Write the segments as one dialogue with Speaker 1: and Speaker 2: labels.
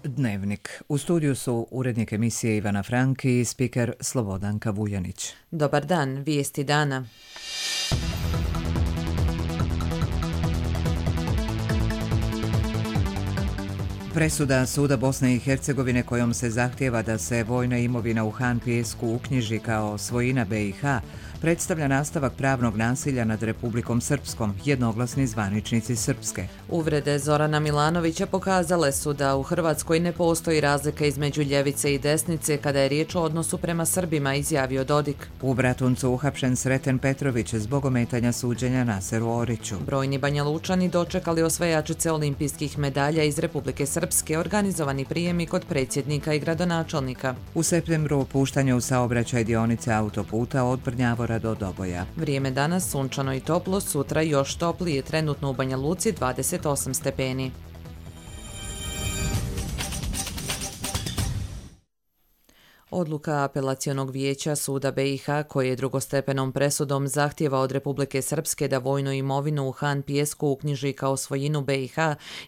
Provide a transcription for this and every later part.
Speaker 1: Dnevnik. U studiju su urednik emisije Ivana Franki i spiker Slobodanka Vujanić.
Speaker 2: Dobar dan, vijesti dana.
Speaker 1: Presuda Suda Bosne i Hercegovine kojom se zahtijeva da se vojna imovina u Han Pijesku uknjiži kao svojina BiH predstavlja nastavak pravnog nasilja nad Republikom Srpskom, jednoglasni zvaničnici Srpske.
Speaker 2: Uvrede Zorana Milanovića pokazale su da u Hrvatskoj ne postoji razlika između ljevice i desnice kada je riječ o odnosu prema Srbima, izjavio Dodik.
Speaker 1: U Bratuncu uhapšen Sreten Petrović zbog ometanja suđenja Naseru Oriću.
Speaker 2: Brojni Banjalučani dočekali osvajačice olimpijskih medalja iz Republike Srpske, organizovani prijemi kod predsjednika i gradonačelnika.
Speaker 1: U septembru puštanje u saobraćaj dionice autoputa od Brnjavora do Doboja.
Speaker 2: Vrijeme danas sunčano i toplo, sutra još toplije, trenutno u Banja Luci 28 stepeni. Odluka apelacionog vijeća Suda BiH, koji je drugostepenom presudom zahtijeva od Republike Srpske da vojnu imovinu u Han Pijesku uknjiži kao svojinu BiH,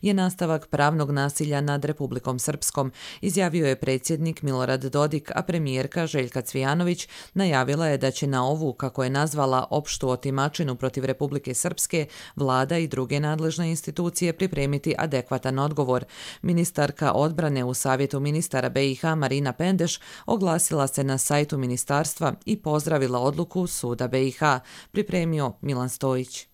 Speaker 2: je nastavak pravnog nasilja nad Republikom Srpskom, izjavio je predsjednik Milorad Dodik, a premijerka Željka Cvijanović najavila je da će na ovu, kako je nazvala, opštu otimačinu protiv Republike Srpske, vlada i druge nadležne institucije pripremiti adekvatan odgovor. Ministarka odbrane u Savjetu ministara BiH Marina Pendeš oglasila se na sajtu ministarstva i pozdravila odluku Suda BiH, pripremio Milan Stojić.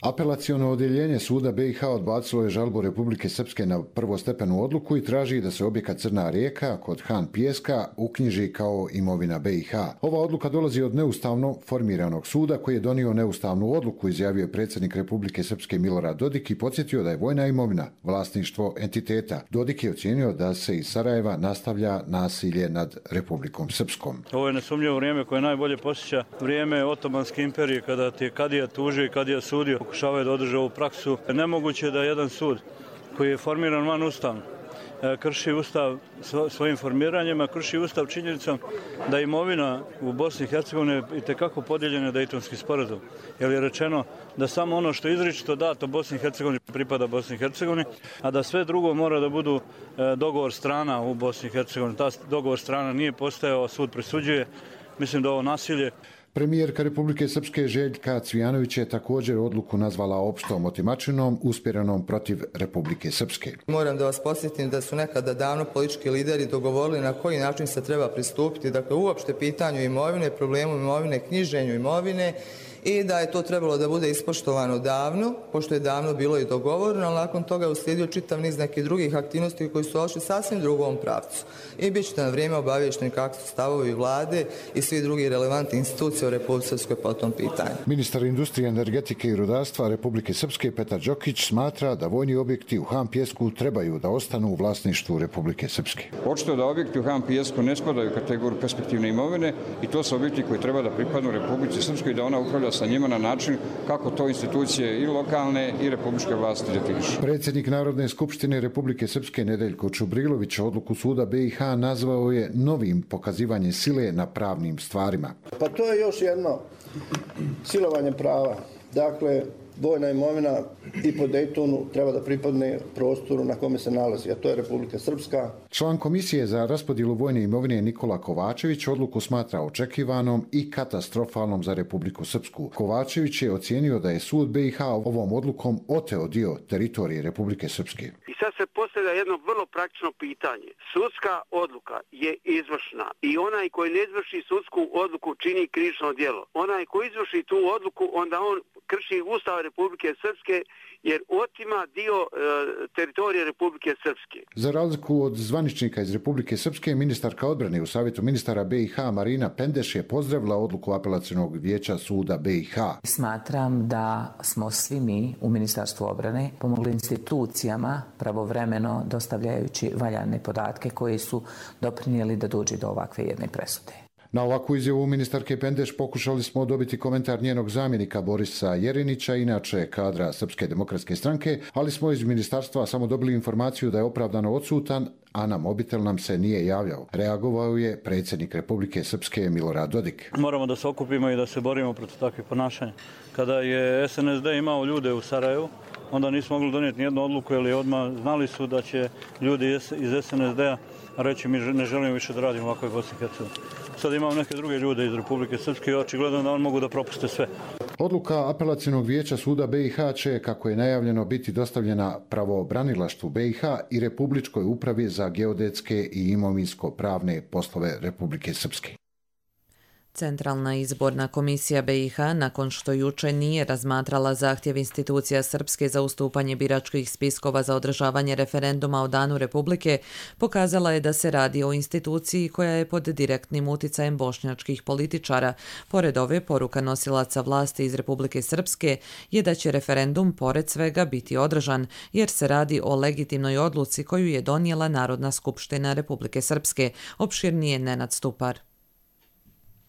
Speaker 3: Apelaciono odjeljenje Suda BiH odbacilo je žalbu Republike Srpske na prvostepenu odluku i traži da se objekat Crna rijeka kod Han Pijeska uknjiži kao imovina BiH. Ova odluka dolazi od neustavno formiranog suda koji je donio neustavnu odluku, izjavio je predsjednik Republike Srpske Milorad Dodik i podsjetio da je vojna imovina vlasništvo entiteta. Dodik je ocijenio da se iz Sarajeva nastavlja nasilje nad Republikom Srpskom.
Speaker 4: Ovo je nesumnjivo vrijeme koje najbolje posjeća vrijeme Otomanske imperije, kada ti je kadija tužio i kadija sudio. Pokušavaju da održe ovu praksu. Nemoguće da jedan sud koji je formiran van Ustava krši Ustav svojim formiranjem, a krši Ustav činjenicom da imovina u Bosni i Hercegovini je itekako podijeljena Dejtonski sporazum. Jer je rečeno da samo ono što je izričito dato Bosni i Hercegovini pripada Bosni i Hercegovini, a da sve drugo mora da budu dogovor strana u Bosni i Hercegovini. Ta dogovor strana nije postojao, sud presuđuje. Mislim da ovo nasilje.
Speaker 3: Premijerka Republike Srpske Željka Cvijanović je također odluku nazvala opštom otimačinom usmjerenom protiv Republike Srpske.
Speaker 5: Moram da vas podsjetim da su nekada davno politički lideri dogovorili na koji način se treba pristupiti, dakle uopšte pitanju imovine, problemu imovine, knjiženju imovine, i da je to trebalo da bude ispoštovano davno, pošto je davno bilo i dogovoreno, ali nakon toga je uslijedio čitav niz nekih drugih aktivnosti koji su ošli sasvim drugom pravcu. I bit ćete na vrijeme obavješteni kakvi su stavovi vlade i svi drugi relevantni institucije u Republike Srpskoj po tom pitanju.
Speaker 3: Ministar industrije, energetike i rudarstva Republike Srpske Petar Đokić smatra da vojni objekti u Han Pijesku trebaju da ostanu u vlasništvu Republike Srpske.
Speaker 6: Očito da objekti u Han Pijesku ne spadaju u kategoriju perspektivne imovine i to su objekti koji treba da pripadnu Republici Srpskoj i da ona upravlja sa njima na način kako to institucije i lokalne i republičke vlasti definišu.
Speaker 3: Predsjednik Narodne skupštine Republike Srpske Nedeljko Čubrilović odluku Suda BiH nazvao je novim pokazivanjem sile na pravnim stvarima.
Speaker 7: Pa to je još jedno silovanje prava. Dakle, vojna imovina i po Dejtonu treba da pripadne prostoru na kome se nalazi, a to je Republika Srpska.
Speaker 3: Član komisije za raspodjelu vojne imovine Nikola Kovačević odluku smatra očekivanom i katastrofalnom za Republiku Srpsku. Kovačević je ocijenio da je sud BiH ovom odlukom oteo dio teritorije Republike Srpske.
Speaker 8: I sad se postavlja jedno vrlo praktično pitanje. Sudska odluka je izvršna i onaj koji ne izvrši sudsku odluku čini krivično djelo. Onaj koji izvrši tu odluku, onda on krši Ustav Republike Srpske jer otima dio teritorije Republike Srpske.
Speaker 3: Za razliku od zvaničnika iz Republike Srpske, ministarka odbrane u Savjetu ministara BiH Marina Pendeš je pozdravila odluku apelacionog vijeća Suda BiH.
Speaker 9: Smatram da smo svi mi u Ministarstvu obrane pomogli institucijama pravovremeno dostavljajući valjane podatke koji su doprinijeli da dođe do ovakve jedne presude.
Speaker 3: Na ovakvu izjavu ministarke Pendeš pokušali smo dobiti komentar njenog zamjenika Borisa Jerinića, inače kadra Srpske demokratske stranke, ali smo iz ministarstva samo dobili informaciju da je opravdano odsutan, a na mobitel nam se nije javljao. Reagovao je predsjednik Republike Srpske Milorad Dodik.
Speaker 4: Moramo da se okupimo i da se borimo protiv takvih ponašanja. Kada je SNSD imao ljude u Sarajevu, onda nismo mogli donijeti nijednu odluku, jer odmah znali su da će ljudi iz SNSD-a reći mi ne želimo više da radimo ovako u Bosni i Hercegovini. Sad imamo neke druge ljude iz Republike Srpske i očigledno da oni mogu da propuste sve.
Speaker 3: Odluka Apelacionog vijeća suda BiH će, kako je najavljeno, biti dostavljena pravobranilaštvu BiH i Republičkoj upravi za geodetske i imovinsko-pravne poslove Republike Srpske.
Speaker 2: Centralna izborna komisija BiH, nakon što juče nije razmatrala zahtjev institucija Srpske za ustupanje biračkih spiskova za održavanje referenduma o Danu Republike, pokazala je da se radi o instituciji koja je pod direktnim uticajem bošnjačkih političara. Pored ove, poruka nosilaca vlasti iz Republike Srpske je da će referendum pored svega biti održan, jer se radi o legitimnoj odluci koju je donijela Narodna skupština Republike Srpske, opširnije Nenad Stupar.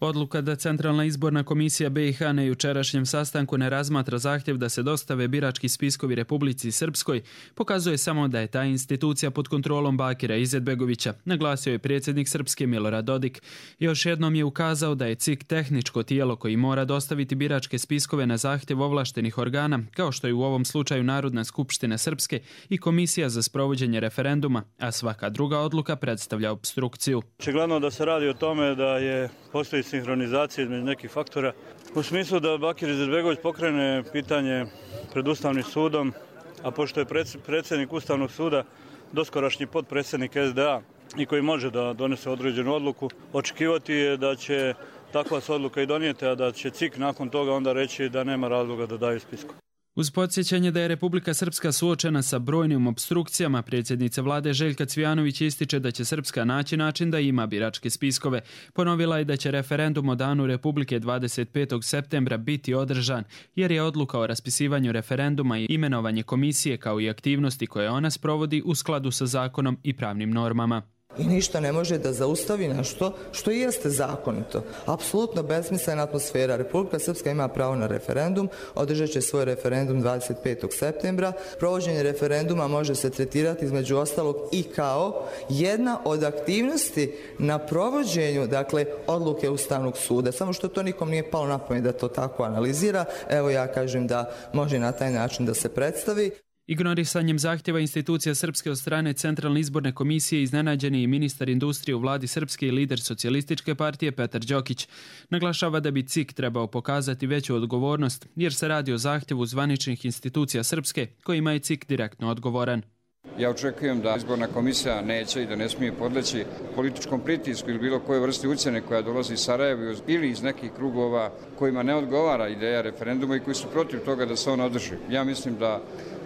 Speaker 10: Odluka da Centralna izborna komisija BiH na jučerašnjem sastanku ne razmatra zahtjev da se dostave birački spiskovi Republici Srpskoj pokazuje samo da je ta institucija pod kontrolom Bakira Izetbegovića, naglasio je predsjednik Srpske Milorad Dodik. Još jednom je ukazao da je CIK tehničko tijelo koji mora dostaviti biračke spiskove na zahtjev ovlaštenih organa, kao što je u ovom slučaju Narodna skupština Srpske i Komisija za sprovođenje referenduma, a svaka druga odluka predstavlja opstrukciju.
Speaker 4: Očigledno da se radi o tome da postoji sinhronizacija između nekih faktora. U smislu da Bakir Izetbegović pokrene pitanje pred Ustavnim sudom, a pošto je predsjednik Ustavnog suda doskorašnji potpredsjednik SDA i koji može da donese određenu odluku, očekivati je da će takva se odluka i donijeti, a da će CIK nakon toga onda reći da nema razloga da daju spisku.
Speaker 10: Uz podsjećanje da je Republika Srpska suočena sa brojnim opstrukcijama, predsjednica vlade Željka Cvijanović ističe da će Srpska naći način da ima biračke spiskove. Ponovila je da će referendum o Danu Republike 25. septembra biti održan, jer je odluka o raspisivanju referenduma i imenovanje komisije kao i aktivnosti koje ona sprovodi u skladu sa zakonom i pravnim normama.
Speaker 5: I ništa ne može da zaustavi nešto što i jeste zakonito. Apsolutno besmislena atmosfera. Republika Srpska ima pravo na referendum, održat će svoj referendum 25. septembra. Provođenje referenduma može se tretirati između ostalog i kao jedna od aktivnosti na provođenju, odluke Ustavnog suda. Samo što to nikom nije palo na pamet da to tako analizira. Evo ja kažem da može na taj način da se predstavi.
Speaker 10: Ignorisanjem zahtjeva institucija Srpske od strane Centralne izborne komisije iznenađen je i ministar industrije u vladi Srpske i lider Socijalističke partije Petar Đokić. Naglašava da bi CIK trebao pokazati veću odgovornost, jer se radi o zahtjevu zvaničnih institucija Srpske kojima je CIK direktno odgovoran.
Speaker 6: Ja očekujem da izborna komisija neće i da ne smije podleći političkom pritisku ili bilo koje vrste ucjene koja dolazi iz Sarajeva ili iz nekih krugova kojima ne odgovara ideja referenduma i koji su protiv toga da se on održi. Ja mislim da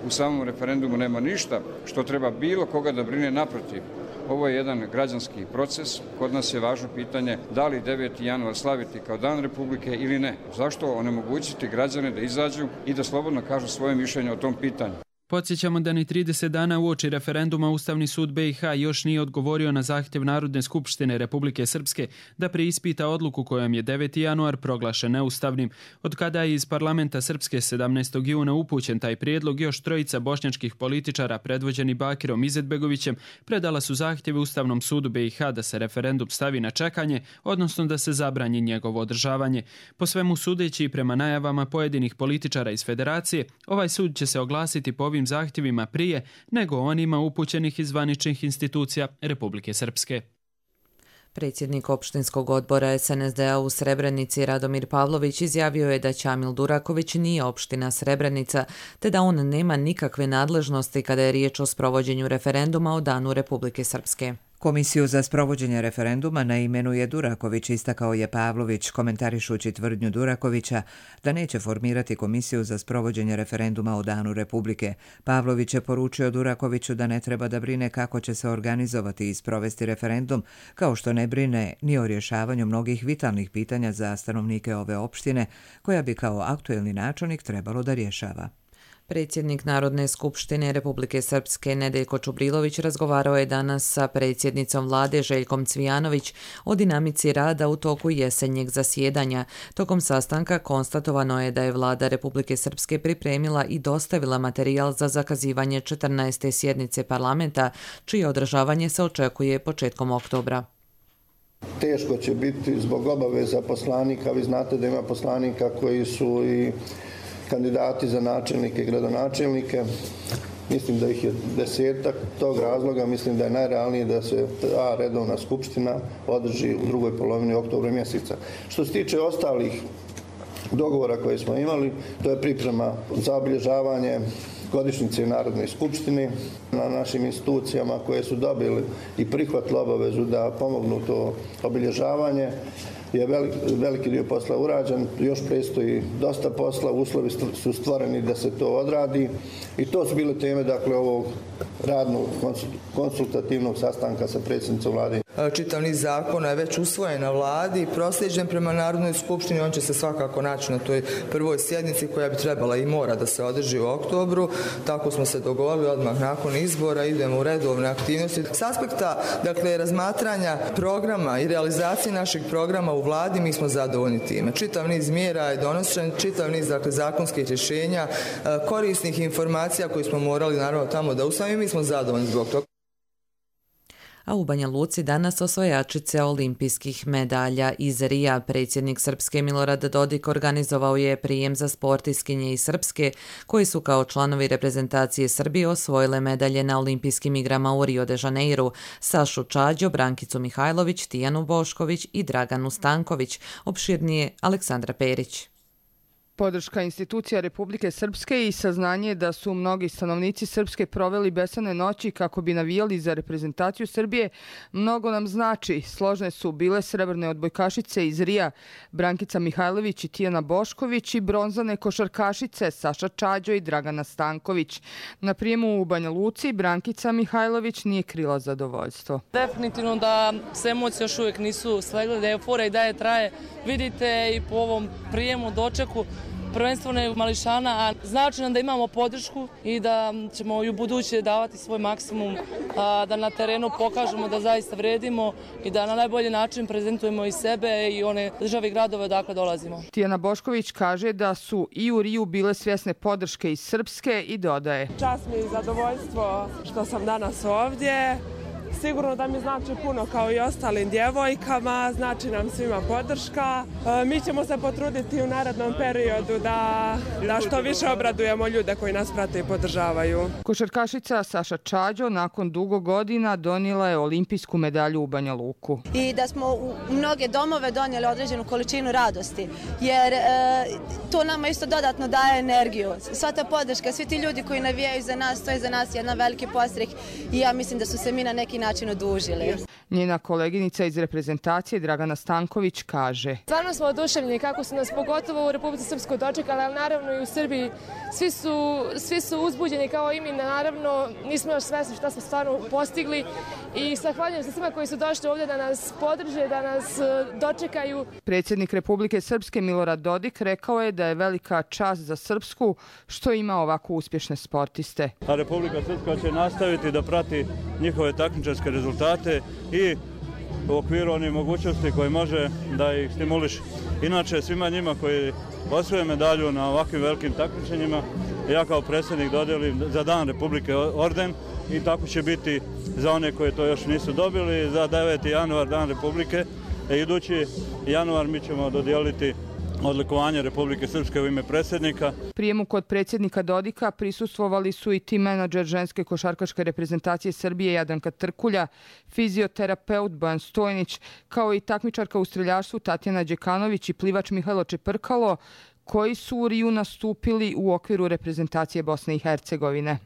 Speaker 6: u samom referendumu nema ništa što treba bilo koga da brine, naprotiv. Ovo je jedan građanski proces. Kod nas je važno pitanje da li 9. januar slaviti kao Dan Republike ili ne. Zašto onemogućiti građane da izađu i da slobodno kažu svoje mišljenje o tom pitanju?
Speaker 10: Podsjećamo da ni 30 dana uoči referenduma Ustavni sud BiH još nije odgovorio na zahtjev Narodne skupštine Republike Srpske da preispita odluku kojom je 9. januar proglašen neustavnim. Od kada je iz parlamenta Srpske 17. juna upućen taj prijedlog, još trojica bošnjačkih političara predvođeni Bakirom Izetbegovićem predala su zahtjeve Ustavnom sudu BiH da se referendum stavi na čekanje, odnosno da se zabrani njegovo održavanje. Po svemu sudeći i prema najavama pojedinih političara iz Federacije, ovaj sud će se oglasiti po ovim zahtjevima prije nego onima upućenih iz zvaničnih institucija Republike Srpske.
Speaker 2: Predsjednik opštinskog odbora SNSD-a u Srebrenici Radomir Pavlović izjavio je da Ćamil Duraković nije opština Srebrenica, te da on nema nikakve nadležnosti kada je riječ o sprovođenju referenduma o Danu Republike Srpske.
Speaker 1: Komisiju za sprovođenje referenduma ne imenuje Duraković, istakao je Pavlović, komentarišući tvrdnju Durakovića da neće formirati komisiju za sprovođenje referenduma o Danu Republike. Pavlović je poručio Durakoviću da ne treba da brine kako će se organizovati i sprovesti referendum, kao što ne brine ni o rješavanju mnogih vitalnih pitanja za stanovnike ove opštine, koja bi kao aktuelni načelnik trebalo da rješava.
Speaker 2: Predsjednik Narodne skupštine Republike Srpske Nedeljko Čubrilović razgovarao je danas sa predsjednicom vlade Željkom Cvijanović o dinamici rada u toku jesenjeg zasjedanja. Tokom sastanka konstatovano je da je vlada Republike Srpske pripremila i dostavila materijal za zakazivanje 14. sjednice parlamenta, čije održavanje se očekuje početkom oktobra.
Speaker 7: Teško će biti zbog obaveza poslanika. Vi znate da ima poslanika koji su i kandidati za načelnike i gradonačelnike. Mislim da ih je 10-ak. Tog razloga mislim da je najrealnije da se ta redovna skupština održi u drugoj polovini oktobra mjeseca. Što se tiče ostalih dogovora koje smo imali, to je priprema za obilježavanje godišnjice Narodne skupštine na našim institucijama koje su dobili i prihvatili obavezu da pomognu to obilježavanje. Je veliki dio posla urađen, još predstoji dosta posla, uslovi su stvoreni da se to odradi i to su bile teme ovog radnog konsultativnog sastanka sa predsjednicom vlade.
Speaker 5: Čitav niz zakona je već usvojen na vladi i proslijeđen prema Narodnoj skupštini. On će se svakako naći na toj prvoj sjednici koja bi trebala i mora da se održi u oktobru. Tako smo se dogovorili odmah nakon izbora, idemo u redovne aktivnosti. S aspekta razmatranja programa i realizacije našeg programa u vladi mi smo zadovoljni time. Čitav niz mjera je donošen, čitav niz zakonskih rješenja, korisnih informacija koje smo morali naravno tamo da usvojimo i mi smo zadovoljni zbog toga.
Speaker 2: A u Banja Luci danas osvajačice olimpijskih medalja iz Rija. Predsjednik Srpske Milorad Dodik organizovao je prijem za sportistkinje iz Srpske koji su kao članovi reprezentacije Srbije osvojile medalje na olimpijskim igrama u Rio de Janeiru. Sašu Čađo, Brankicu Mihajlović, Tijanu Bošković i Draganu Stanković. Opširnije Aleksandra Perić.
Speaker 11: Podrška institucija Republike Srpske i saznanje da su mnogi stanovnici Srpske proveli besane noći kako bi navijali za reprezentaciju Srbije mnogo nam znači. Složne su bile srebrne odbojkašice iz Rija Brankica Mihajlović i Tijana Bošković i bronzane košarkašice Saša Čađo i Dragana Stanković. Na prijemu u Banja Luci Brankica Mihajlović nije krila zadovoljstvo.
Speaker 12: Definitivno da se emocije još uvijek nisu slegle, da je euforija i dalje traje. Vidite i po ovom prijemu, dočeku, prvenstveno je mališana, a znači nam da imamo podršku i da ćemo i u buduće davati svoj maksimum, da na terenu pokažemo da zaista vredimo i da na najbolji način prezentujemo i sebe i one države i gradove odakle dolazimo.
Speaker 11: Tijana Bošković kaže da su i u Riju bile svjesne podrške iz Srpske i dodaje:
Speaker 13: Čast mi i zadovoljstvo što sam danas ovdje. Sigurno da mi znači puno kao i ostalim djevojkama, znači nam svima podrška. Mi ćemo se potruditi u narednom periodu da što više obradujemo ljude koji nas prate i podržavaju.
Speaker 11: Košarkašica Saša Čađo nakon dugo godina donijela je olimpijsku medalju u Banja Luku.
Speaker 14: I da smo u mnoge domove donijeli određenu količinu radosti, jer to nama isto dodatno daje energiju. Sva ta podrška, svi ti ljudi koji navijaju za nas, to je za nas jedan veliki podstrek i ja mislim da su se mi na neki način odužili.
Speaker 11: Njena koleginica iz reprezentacije Dragana Stanković kaže:
Speaker 15: Stvarno smo oduševljeni kako su nas pogotovo u Republici Srpskoj dočekali, ali naravno i u Srbiji. Svi su uzbuđeni kao i mi, naravno nismo još svesni šta smo stvarno postigli i zahvaljujem se svima koji su došli ovdje da nas podrže, da nas dočekaju.
Speaker 11: Predsjednik Republike Srpske Milorad Dodik rekao je da je velika čast za Srpsku što ima ovako uspješne sportiste.
Speaker 4: A Republika Srpska će nastaviti da prati njihove takmičarske rezultate i u okviru onih mogućnosti koje može da ih stimuliše. Inače, svima njima koji osvoje medalju na ovakvim velikim takmičenjima, ja kao predsjednik dodelim za Dan Republike orden i tako će biti za one koji to još nisu dobili. Za 9. januar Dan Republike, idući januar mi ćemo dodijeliti odlikovanje Republike Srpske u ime predsjednika.
Speaker 11: Prijemu kod predsjednika Dodika prisustvovali su i tim menadžer ženske košarkaške reprezentacije Srbije Jadranka Trkulja, fizioterapeut Bojan Stojnić, kao i takmičarka u streljaštvu Tatjana Đekanović i plivač Mihajlo Čeprkalo, koji su u Riju nastupili u okviru reprezentacije Bosne i Hercegovine.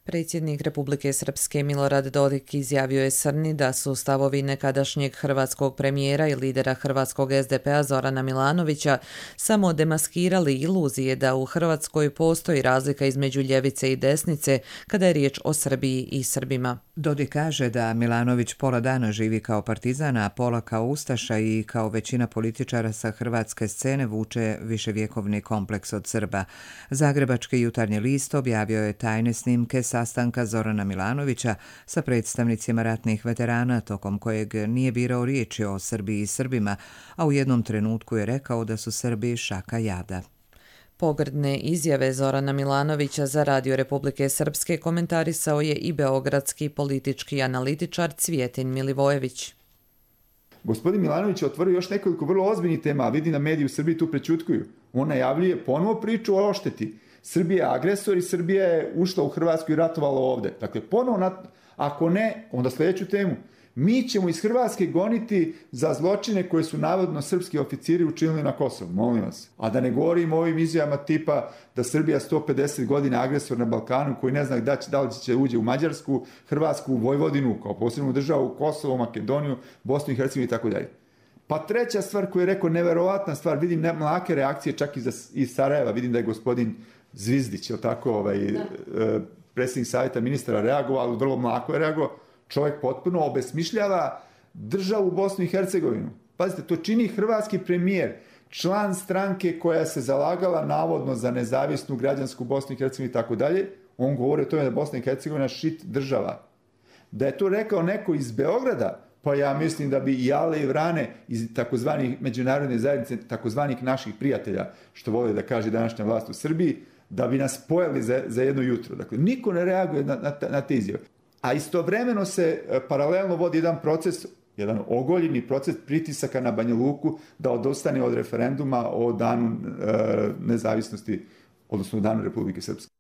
Speaker 2: Predsjednik Republike Srpske Milorad Dodik izjavio je Srni da su stavovi nekadašnjeg hrvatskog premijera i lidera hrvatskog SDP-a Zorana Milanovića samo demaskirali iluzije da u Hrvatskoj postoji razlika između ljevice i desnice kada je riječ o Srbiji i Srbima.
Speaker 1: Dodik kaže da Milanović pola dana živi kao partizan, a pola kao ustaša i kao većina političara sa hrvatske scene vuče viševjekovni kompleks od Srba. Zagrebački jutarnji list objavio je tajne snimke sastanka Zorana Milanovića sa predstavnicima ratnih veterana, tokom kojeg nije birao riječi o Srbiji i Srbima, a u jednom trenutku je rekao da su Srbi šaka jada.
Speaker 2: Pogrdne izjave Zorana Milanovića za Radio Republike Srpske komentarisao je i beogradski politički analitičar Cvijetin Milivojević.
Speaker 16: Gospodin Milanović je otvorio još nekoliko vrlo ozbiljnih tema, a vidim da mediji u Srbiji tu prećutkuju. On najavljuje ponovo priču o ošteti. Srbija je agresor i Srbija je ušla u Hrvatsku i ratovala ovde. Dakle, ponovo, ako ne, onda sljedeću temu. Mi ćemo iz Hrvatske goniti za zločine koje su navodno srpski oficiri učinili na Kosovu, molim vas. A da ne govorim o ovim izjavama tipa da Srbija 150 godina agresor na Balkanu koji ne zna da li će uđe u Mađarsku, Hrvatsku, Vojvodinu kao posebnu državu, Kosovo, Makedoniju, Bosnu i Hercegovinu i tako dalje. Pa treća stvar koju je rekao, neverovatna stvar, vidim mlake reakcije čak iz Sarajeva, vidim da je gospodin Zvizdić, predsjednik savjeta ministara reagovao, ali vrlo mlako je reagovao. Čovjek potpuno obesmišljava državu Bosnu i Hercegovinu. Pazite, to čini hrvatski premijer, član stranke koja se zalagala navodno za nezavisnu građansku Bosnu i Hercegovinu i tako dalje. On govori o tome da Bosna i Hercegovina šit država. Da je to rekao neko iz Beograda, pa ja mislim da bi i Jale i Vrane iz takozvanih međunarodne zajednice, takozvanih naših prijatelja, što vole da kaže današnja vlast u Srbiji, da bi nas pojeli za jedno jutro. Dakle, niko ne reaguje na te izjave. A istovremeno se paralelno vodi jedan proces, jedan ogoljeni proces pritisaka na Banja Luku da odustane od referenduma o danu nezavisnosti, odnosno o danu Republike Srpske.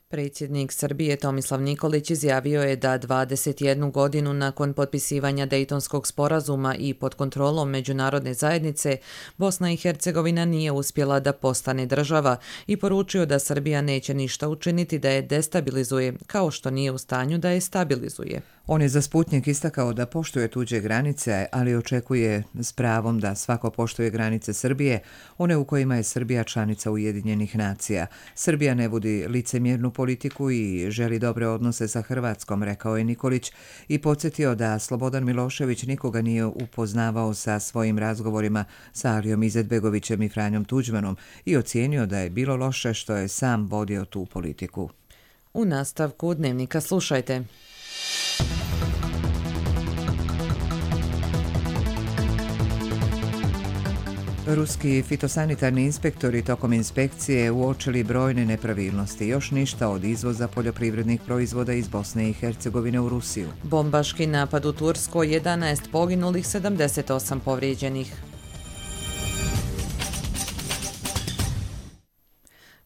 Speaker 2: Predsjednik Srbije Tomislav Nikolić izjavio je da 21 godinu nakon potpisivanja Dejtonskog sporazuma i pod kontrolom međunarodne zajednice, Bosna i Hercegovina nije uspjela da postane država i poručio da Srbija neće ništa učiniti da je destabilizuje, kao što nije u stanju da je stabilizuje.
Speaker 1: On je za Sputnjik istakao da poštuje tuđe granice, ali očekuje s pravom da svako poštuje granice Srbije, one u kojima je Srbija članica Ujedinjenih nacija. Srbija ne vodi licemjernu politiku i želi dobre odnose sa Hrvatskom, rekao je Nikolić i podsjetio da Slobodan Milošević nikoga nije upoznavao sa svojim razgovorima sa Alijom Izetbegovićem i Franjom Tuđmanom i ocijenio da je bilo loše što je sam vodio tu politiku.
Speaker 2: U nastavku Dnevnika slušajte.
Speaker 1: Ruski fitosanitarni inspektori tokom inspekcije uočili brojne nepravilnosti. Još ništa od izvoza poljoprivrednih proizvoda iz Bosne i Hercegovine u Rusiju.
Speaker 2: Bombaški napad u Turskoj, 11 poginulih, 78 povrijeđenih.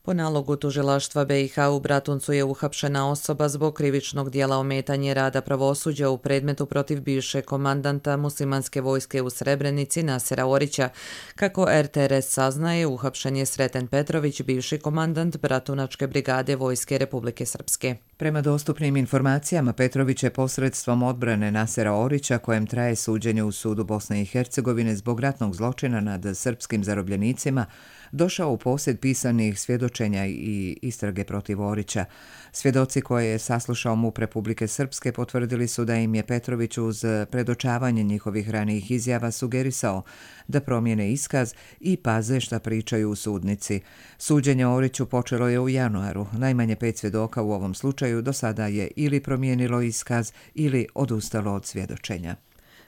Speaker 2: Po nalogu tužilaštva BiH u Bratuncu je uhapšena osoba zbog krivičnog dijela ometanje rada pravosuđa u predmetu protiv bivšeg komandanta muslimanske vojske u Srebrenici Nasera Orića. Kako RTRS saznaje, uhapšen je Sreten Petrović, bivši komandant Bratunačke brigade Vojske Republike Srpske.
Speaker 1: Prema dostupnim informacijama, Petrović je posredstvom odbrane Nasera Orića, kojem traje suđenje u sudu Bosne i Hercegovine zbog ratnog zločina nad srpskim zarobljenicima, došao u posjed pisanih svjedočenja i istrage protiv Orića. Svjedoci koje je saslušao MUP Republike Srpske potvrdili su da im je Petrović uz predočavanje njihovih ranijih izjava sugerisao da promijene iskaz i paze šta pričaju u sudnici. Suđenje Oriću počelo je u januaru. Najmanje 5 svjedoka u ovom slučaju do sada je ili promijenilo iskaz ili odustalo od svjedočenja.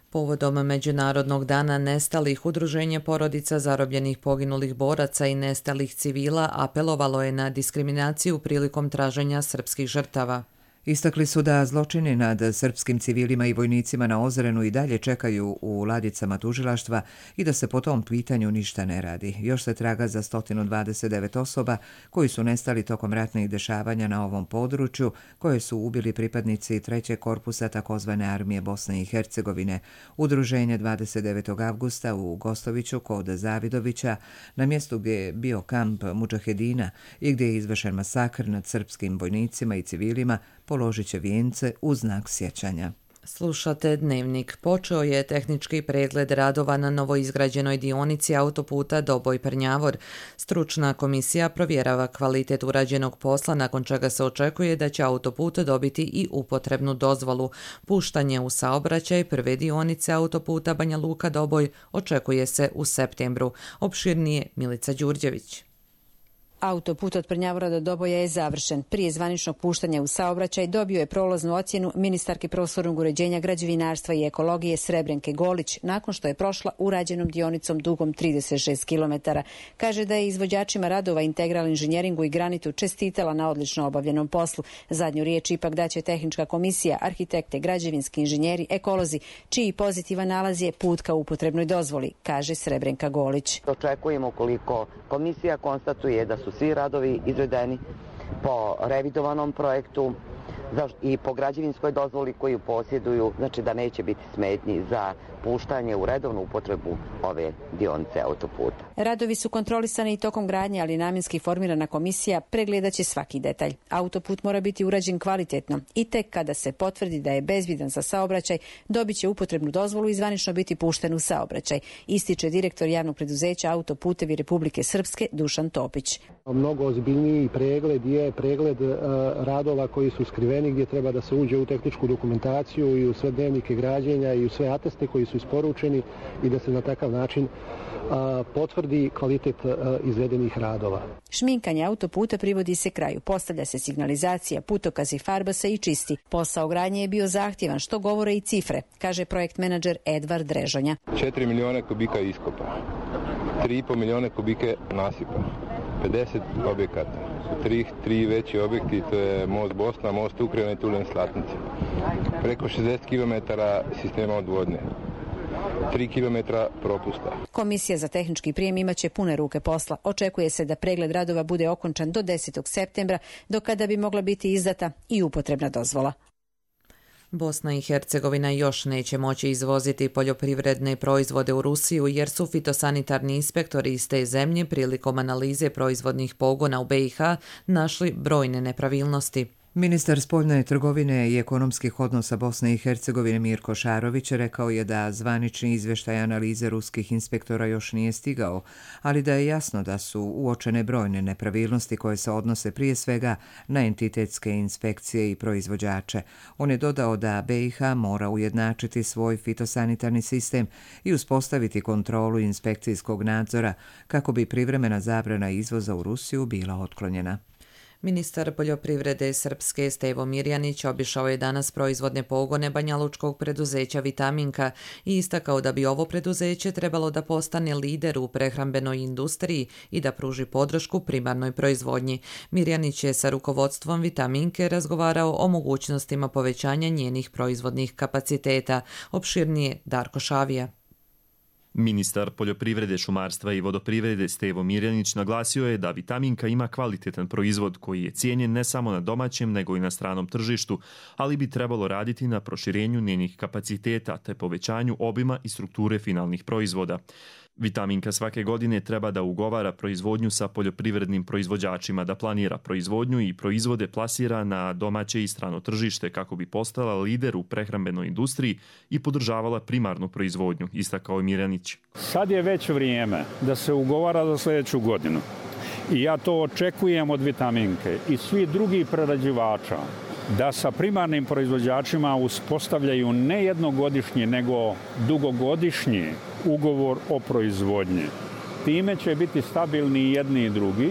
Speaker 2: Povodom Međunarodnog dana nestalih, Udruženje porodica zarobljenih poginulih boraca i nestalih civila apelovalo je na diskriminaciju prilikom traženja srpskih žrtava.
Speaker 1: Istakli su da zločini nad srpskim civilima i vojnicima na Ozrenu i dalje čekaju u ladicama tužilaštva i da se po tom pitanju ništa ne radi. Još se traga za 129 osoba koji su nestali tokom ratnih dešavanja na ovom području, koje su ubili pripadnici 3. korpusa takozvane armije Bosne i Hercegovine. Udruženje 29. avgusta u Gostoviću kod Zavidovića, na mjestu gdje je bio kamp Mudžahedina i gdje je izvršen masakr nad srpskim vojnicima i civilima, položit će vijence u znak sjećanja.
Speaker 2: Slušate Dnevnik. Počeo je tehnički pregled radova na novoizgrađenoj dionici autoputa Doboj-Prnjavor. Stručna komisija provjerava kvalitet urađenog posla, nakon čega se očekuje da će autoput dobiti i upotrebnu dozvolu. Puštanje u saobraćaj prve dionice autoputa Banja Luka-Doboj očekuje se u septembru. Opširnije Milica Đurđević.
Speaker 17: Autoput od Prnjavora do Doboja je završen. Prije zvaničnog puštanja u saobraćaj dobio je prolaznu ocjenu ministarke prostornog uređenja, građevinarstva i ekologije Srebrenke Golić nakon što je prošla urađenom dionicom dugom 36 km. Kaže da je izvođačima radova Integral inženjeringu i Granitu čestitala na odlično obavljenom poslu. Zadnju riječ ipak daće tehnička komisija, arhitekte, građevinski inženjeri, ekolozi, čiji pozitivan nalaz je put ka upotrebnoj dozvoli, kaže Srebrenka Golić.
Speaker 18: Očekujemo koliko komisija konstatuje da su svi radovi izvedeni po revidovanom projektu i po građevinskoj dozvoli koju posjeduju, znači da neće biti smetnji za puštanje u redovnu upotrebu ove dionice autoputa.
Speaker 17: Radovi su kontrolisani i tokom gradnje, ali namjenski formirana komisija pregledaće svaki detalj. Autoput mora biti urađen kvalitetno i tek kada se potvrdi da je bezbjedan za saobraćaj, dobit će upotrebnu dozvolu i zvanično biti pušten u saobraćaj, ističe direktor javnog preduzeća Autoputevi Republike Srpske Dušan Topić.
Speaker 19: Mnogo ozbiljniji pregled je pregled radova koji su skriveni, gdje treba da se uđe u tehničku dokumentaciju i u sve dnevnike građenja i u sve ateste koji su isporučeni i da se na takav način potvrdi kvalitet izvedenih radova.
Speaker 17: Šminkanje autoputa privodi se kraju. Postavlja se signalizacija, putokaz i farba se i čisti. Posao gradnje je bio zahtjevan, što govore i cifre, kaže projekt menadžer Edvard Drežonja.
Speaker 20: 4 milijuna kubika iskopa, 3,5 milijuna kubike nasipa, 50 objekata. Tri veći objekti, to je most Bosna, most Ukrajina i Tulen Slatnice. Preko 60 km sistema odvodnje. 3 km propusta.
Speaker 17: Komisija za tehnički prijem imaće pune ruke posla. Očekuje se da pregled radova bude okončan do 10. septembra, do kada bi mogla biti izdata i upotrebna dozvola.
Speaker 2: Bosna i Hercegovina još neće moći izvoziti poljoprivredne proizvode u Rusiju jer su fitosanitarni inspektori iz te zemlje prilikom analize proizvodnih pogona u BiH našli brojne nepravilnosti.
Speaker 1: Ministar spoljne trgovine i ekonomskih odnosa Bosne i Hercegovine Mirko Šarović rekao je da zvanični izvještaj analize ruskih inspektora još nije stigao, ali da je jasno da su uočene brojne nepravilnosti koje se odnose prije svega na entitetske inspekcije i proizvođače. On je dodao da BiH mora ujednačiti svoj fitosanitarni sistem i uspostaviti kontrolu inspekcijskog nadzora kako bi privremena zabrana izvoza u Rusiju bila otklonjena.
Speaker 2: Ministar poljoprivrede Srpske Stevo Mirjanić obišao je danas proizvodne pogone banjalučkog preduzeća Vitaminka i istakao da bi ovo preduzeće trebalo da postane lider u prehrambenoj industriji i da pruži podršku primarnoj proizvodnji. Mirjanić je sa rukovodstvom Vitaminke razgovarao o mogućnostima povećanja njenih proizvodnih kapaciteta. Opširnije Darko Šavija.
Speaker 21: Ministar poljoprivrede, šumarstva i vodoprivrede Stevo Mirjanić naglasio je da Vitaminka ima kvalitetan proizvod koji je cijenjen ne samo na domaćem nego i na stranom tržištu, ali bi trebalo raditi na proširenju njenih kapaciteta te povećanju obima i strukture finalnih proizvoda. Vitaminka svake godine treba da ugovara proizvodnju sa poljoprivrednim proizvođačima, da planira proizvodnju i proizvode plasira na domaće i strano tržište kako bi postala lider u prehrambenoj industriji i podržavala primarnu proizvodnju, istakao je Mirjanić.
Speaker 22: Sad je već vrijeme da se ugovara za sljedeću godinu i ja to očekujem od Vitaminke i svi drugi prerađivača da sa primarnim proizvođačima uspostavljaju ne jednogodišnji nego dugogodišnji ugovor o proizvodnji. Time će biti stabilni i jedni i drugi.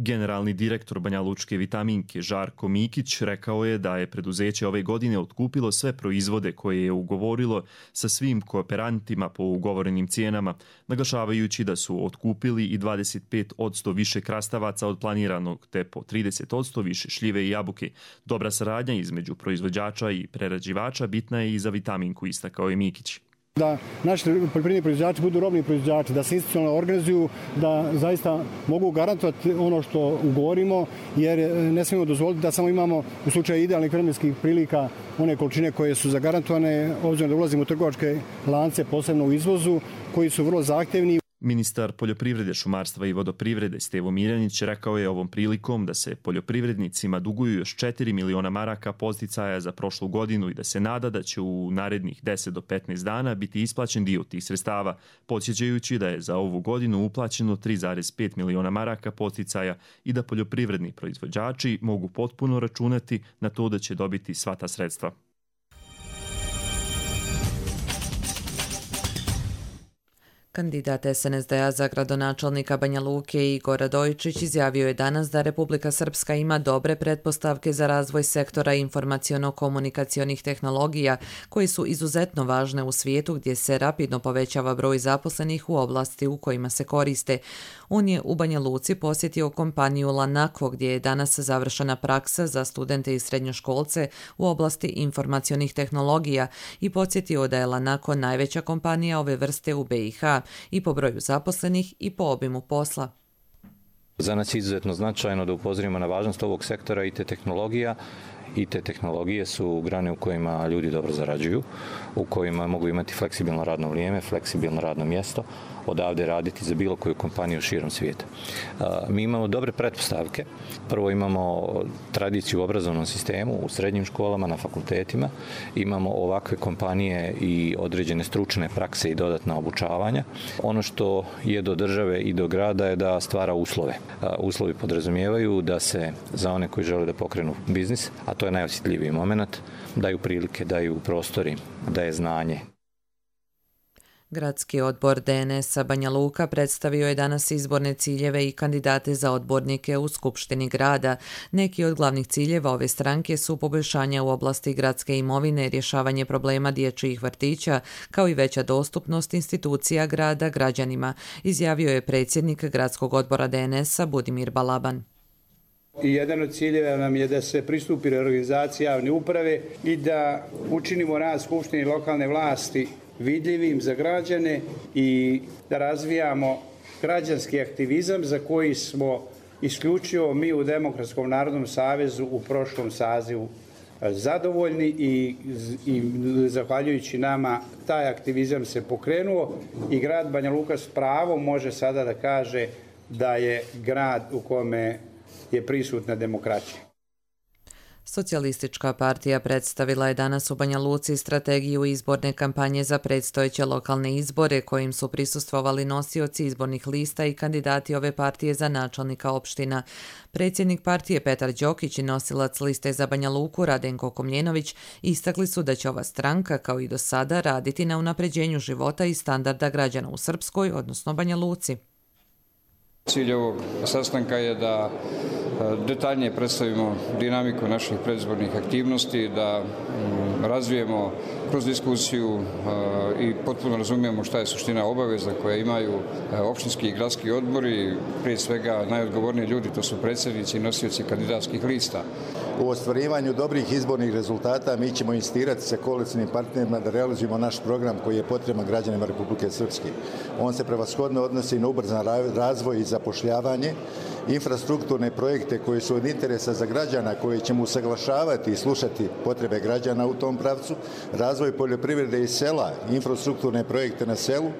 Speaker 21: Generalni direktor Banjalučke Vitaminke Žarko Mikić rekao je da je preduzeće ove godine otkupilo sve proizvode koje je ugovorilo sa svim kooperantima po ugovorenim cijenama, naglašavajući da su otkupili i 25% više krastavaca od planiranog te po 30% više šljive i jabuke. Dobra saradnja između proizvođača i prerađivača bitna je i za Vitaminku, istakao je Mikić.
Speaker 19: Da naši poljoprivredni proizvođači budu robni proizvođači, da se institucionalno organizuju, da zaista mogu garantovati ono što ugovorimo, jer ne smijemo dozvoliti da samo imamo u slučaju idealnih vremenskih prilika one količine koje su zagarantovane, obzirom da ulazimo u trgovačke lance, posebno u izvozu, koji su vrlo zahtjevni.
Speaker 21: Ministar poljoprivrede, šumarstva i vodoprivrede Stevo Mirjanić rekao je ovom prilikom da se poljoprivrednicima duguju još 4 miliona maraka podsticaja za prošlu godinu i da se nada da će u narednih 10 do 15 dana biti isplaćen dio tih sredstava, podsjećajući da je za ovu godinu uplaćeno 3,5 miliona maraka podsticaja i da poljoprivredni proizvođači mogu potpuno računati na to da će dobiti sva ta sredstva.
Speaker 2: Kandidat SNSD-a za gradonačelnika Banja Luke Igor Radojičić izjavio je danas da Republika Srpska ima dobre pretpostavke za razvoj sektora informaciono-komunikacionih tehnologija koji su izuzetno važne u svijetu gdje se rapidno povećava broj zaposlenih u oblasti u kojima se koriste. On je u Banja Luci posjetio kompaniju Lanako gdje je danas završena praksa za studente i srednjoškolce u oblasti informacionih tehnologija i podsjetio da je Lanako najveća kompanija ove vrste u BiH i po broju zaposlenih i po obimu posla.
Speaker 8: Za nas je izuzetno značajno da upozorimo na važnost ovog sektora i te tehnologija. I te tehnologije su grane u kojima ljudi dobro zarađuju, u kojima mogu imati fleksibilno radno vrijeme, fleksibilno radno mjesto, odavde raditi za bilo koju kompaniju širom svijeta. Mi imamo dobre pretpostavke. Prvo imamo tradiciju u obrazovnom sistemu, u srednjim školama, na fakultetima. Imamo ovakve kompanije i određene stručne prakse i dodatna obučavanja. Ono što je do države i do grada je da stvara uslove. Uslovi podrazumijevaju da se za one koji žele da pokrenu biznis, a to je najosjetljiviji moment, daju prilike, daju prostori, daje znanje.
Speaker 2: Gradski odbor DNS-a Banja Luka predstavio je danas izborne ciljeve i kandidate za odbornike u Skupštini grada. Neki od glavnih ciljeva ove stranke su poboljšanja u oblasti gradske imovine, rješavanje problema dječjih vrtića, kao i veća dostupnost institucija grada građanima, izjavio je predsjednik Gradskog odbora DNS-a Budimir Balaban.
Speaker 9: I jedan od ciljeva nam je da se pristupi reorganizaciji javne uprave i da učinimo rad Skupštine i lokalne vlasti vidljivim za građane i da razvijamo građanski aktivizam za koji smo isključivo mi u Demokratskom narodnom savezu u prošlom sazivu zadovoljni i zahvaljujući nama taj aktivizam se pokrenuo i grad Banja Luka s pravom može sada da kaže da je grad u kome je prisutna demokratija.
Speaker 2: Socijalistička partija predstavila je danas u Banja Luci strategiju izborne kampanje za predstojeće lokalne izbore kojim su prisustvovali nosioci izbornih lista i kandidati ove partije za načelnika opština. Predsjednik partije Petar Đokić i nosilac liste za Banja Luku Radenko Komljenović istakli su da će ova stranka kao i do sada raditi na unapređenju života i standarda građana u Srpskoj, odnosno Banja Luci.
Speaker 6: Cilj ovog sastanka je da detaljnije predstavimo dinamiku naših predizbornih aktivnosti, da razvijemo kroz diskusiju i potpuno razumijemo šta je suština obaveza koje imaju opštinski i gradski odbori, prije svega najodgovorniji ljudi, to su predsjednici i nosioci kandidatskih lista.
Speaker 23: U ostvarivanju dobrih izbornih rezultata mi ćemo insistirati sa koalicijnim partnerima da realizujemo naš program koji je potreban građanima Republike Srpske. On se prevashodno odnosi na ubrzan razvoj i zapošljavanje, infrastrukturne projekte koji su od interesa za građana, koje ćemo usaglašavati i slušati potrebe građana u tom pravcu, razvoj poljoprivrede i sela, infrastrukturne projekte na selu.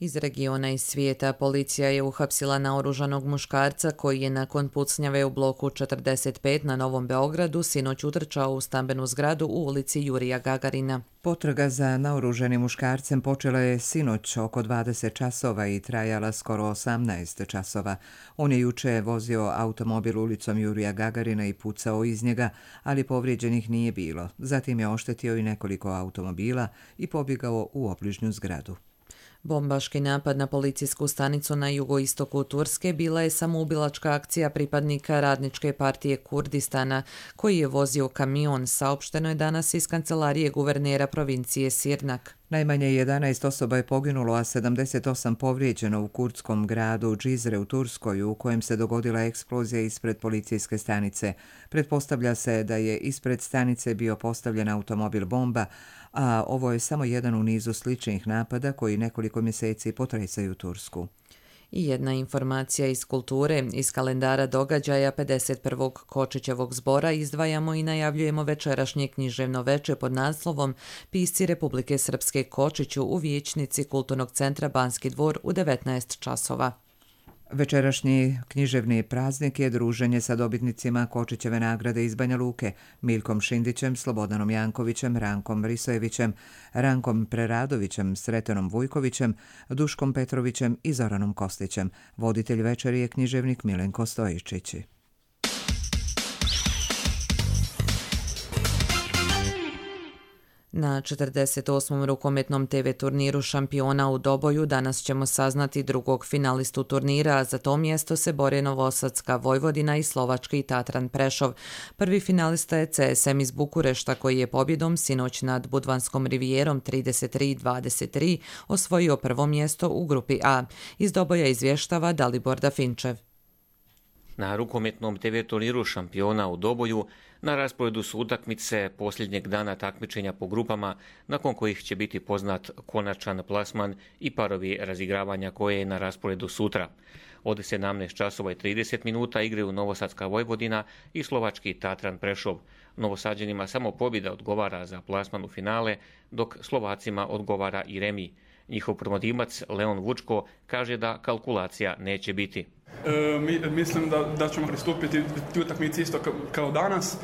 Speaker 2: Iz regiona i svijeta policija je uhapsila naoružanog muškarca koji je nakon pucnjave u bloku 45 na Novom Beogradu sinoć utrčao u stambenu zgradu u ulici Jurija Gagarina.
Speaker 1: Potraga za naoruženim muškarcem počela je sinoć oko 20 časova i trajala skoro 18 časova. On je juče vozio automobil ulicom Jurija Gagarina i pucao iz njega, ali povrijeđenih nije bilo. Zatim je oštetio i nekoliko automobila i pobjegao u obližnju zgradu.
Speaker 2: Bombaški napad na policijsku stanicu na jugoistoku Turske bila je samoubilačka akcija pripadnika Radničke partije Kurdistana koji je vozio kamion, saopšteno je danas iz kancelarije guvernera provincije Sirnak.
Speaker 1: Najmanje 11 osoba je poginulo, a 78 povrijeđeno u kurdskom gradu Džizre u Turskoj, u kojem se dogodila eksplozija ispred policijske stanice. Pretpostavlja se da je ispred stanice bio postavljen automobil bomba, a ovo je samo jedan u nizu sličnih napada koji nekoliko mjeseci potresaju Tursku.
Speaker 2: I jedna informacija iz kulture. Iz kalendara događaja 51. Kočićevog zbora izdvajamo i najavljujemo večerašnje književno veče pod naslovom Pisci Republike Srpske Kočiću u vijećnici Kulturnog centra Banski dvor u 19 časova.
Speaker 1: Večerašnji književni praznik je druženje sa dobitnicima Kočićeve nagrade iz Banja Luke, Miljkom Šindićem, Slobodanom Jankovićem, Rankom Risojevićem, Rankom Preradovićem, Sretanom Vujkovićem, Duškom Petrovićem i Zoranom Kostićem. Voditelj večeri je književnik Milenko Stojičić.
Speaker 2: Na 48. rukometnom TV turniru šampiona u Doboju danas ćemo saznati drugog finalistu turnira, a za to mjesto se bore Novosadska Vojvodina i slovački Tatran Prešov. Prvi finalista je CSM iz Bukurešta koji je pobjedom sinoć nad Budvanskom rivijerom 33-23 osvojio prvo mjesto u grupi A. Iz Doboja izvještava Dalibor Dafinčev.
Speaker 3: Na rukometnom TV turniru šampiona u Doboju na rasporedu su utakmice posljednjeg dana takmičenja po grupama, nakon kojih će biti poznat konačan plasman i parovi razigravanja koje je na rasporedu sutra. Od 17:30 igraju Novosadska Vojvodina i slovački Tatran Prešov. Novosađanima samo pobjeda odgovara za plasman u finale, dok Slovacima odgovara i remi. Njihov promotivac Leon Vučko kaže da kalkulacija neće biti.
Speaker 7: Mislim da ćemo pristupiti ti utakmici isto kao danas,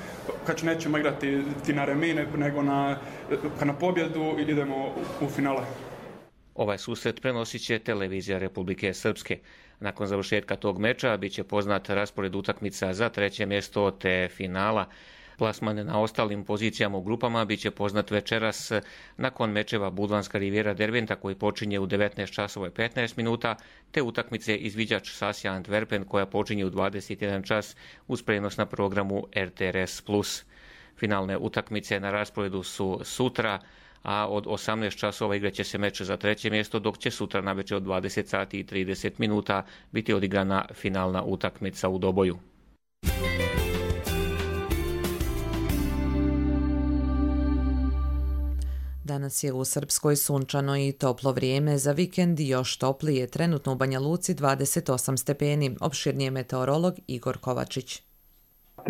Speaker 7: kad nećemo igrati ti na remine, nego na pobjedu idemo u finale.
Speaker 3: Ovaj susret prenosit će televizija Republike Srpske. Nakon završetka tog meča bit će poznat raspored utakmica za treće mjesto te finala. Plasman na ostalim pozicijama u grupama bit će poznat večeras nakon mečeva Budvanska rivijera Derventa koji počinje u 19:15 te utakmice izviđač Sasja Antwerpen koja počinje u 21 čas uz prenos na programu RTRS+. Finalne utakmice na rasporedu su sutra, a od 18 časova igraće se meč za treće mjesto, dok će sutra navečer od 20:30 biti odigrana finalna utakmica u Doboju.
Speaker 2: Danas je u Srpskoj sunčano i toplo vrijeme, za vikend još toplije, trenutno u Banja Luci 28 stepeni, opširnije meteorolog Igor Kovačić.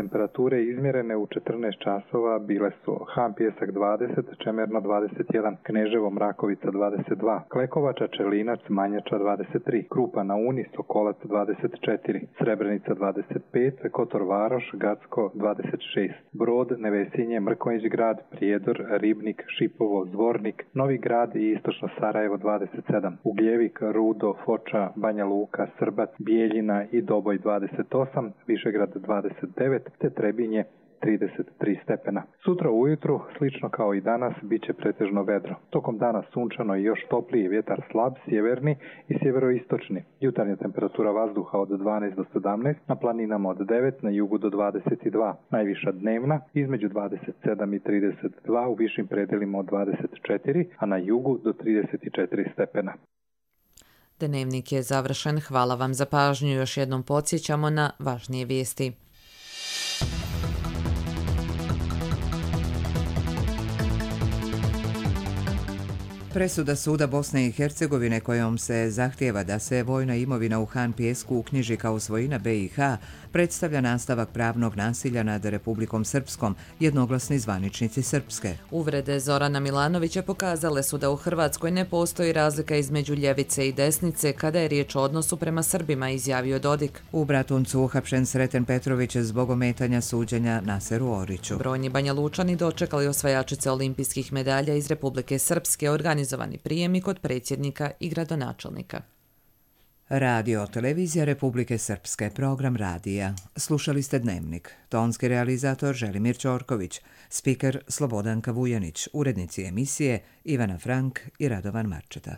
Speaker 10: Temperature izmjerene u 14 časova bile su Han Pijesak 20, Čemerno 21, Kneževo Mrakovica 22, Klekovača, Čelinac, Manjača 23, Krupa na Uni, Sokolac 24, Srebrenica 25, Kotor Varoš, Gacko 26, Brod, Nevesinje, Mrkonjić grad, Prijedor, Ribnik, Šipovo, Zvornik, Novi grad i Istočno Sarajevo 27, Ugljevik, Rudo, Foča, Banja Luka, Srbac, Bijeljina i Doboj 28, Višegrad 29, te Trebinje 33 stepena. Sutra ujutru, slično kao i danas, bit će pretežno vedro. Tokom dana sunčano i još topliji vjetar slab, sjeverni i sjeveroistočni. Jutarnja temperatura vazduha od 12 do 17, na planinama od 9, na jugu do 22. Najviša dnevna između 27 i 32, u višim predelima od 24, a na jugu do 34 stepena.
Speaker 2: Dnevnik je završen, hvala vam za pažnju, još jednom podsjećamo na važnije vijesti.
Speaker 1: Presuda Suda Bosne i Hercegovine kojom se zahtijeva da se vojna imovina u Han Pijesku uknjiži kao svojina BiH predstavlja nastavak pravnog nasilja nad Republikom Srpskom, jednoglasni zvaničnici Srpske.
Speaker 2: Uvrede Zorana Milanovića pokazale su da u Hrvatskoj ne postoji razlika između ljevice i desnice kada je riječ o odnosu prema Srbima, izjavio Dodik.
Speaker 1: U Bratuncu uhapšen Sreten Petrović zbog ometanja suđenja Naseru Oriću.
Speaker 2: Brojni Banja Lučani dočekali osvajačice olimpijskih medalja iz Republike Srpske, organizovani prijemi kod predsjednika i gradonačelnika.
Speaker 1: Radio televizija Republike Srpske, program radija. Slušali ste Dnevnik. Tonski realizator Želimir Ćorković, spiker Slobodanka Vujanić, urednici emisije Ivana Frank i Radovan Marčeta.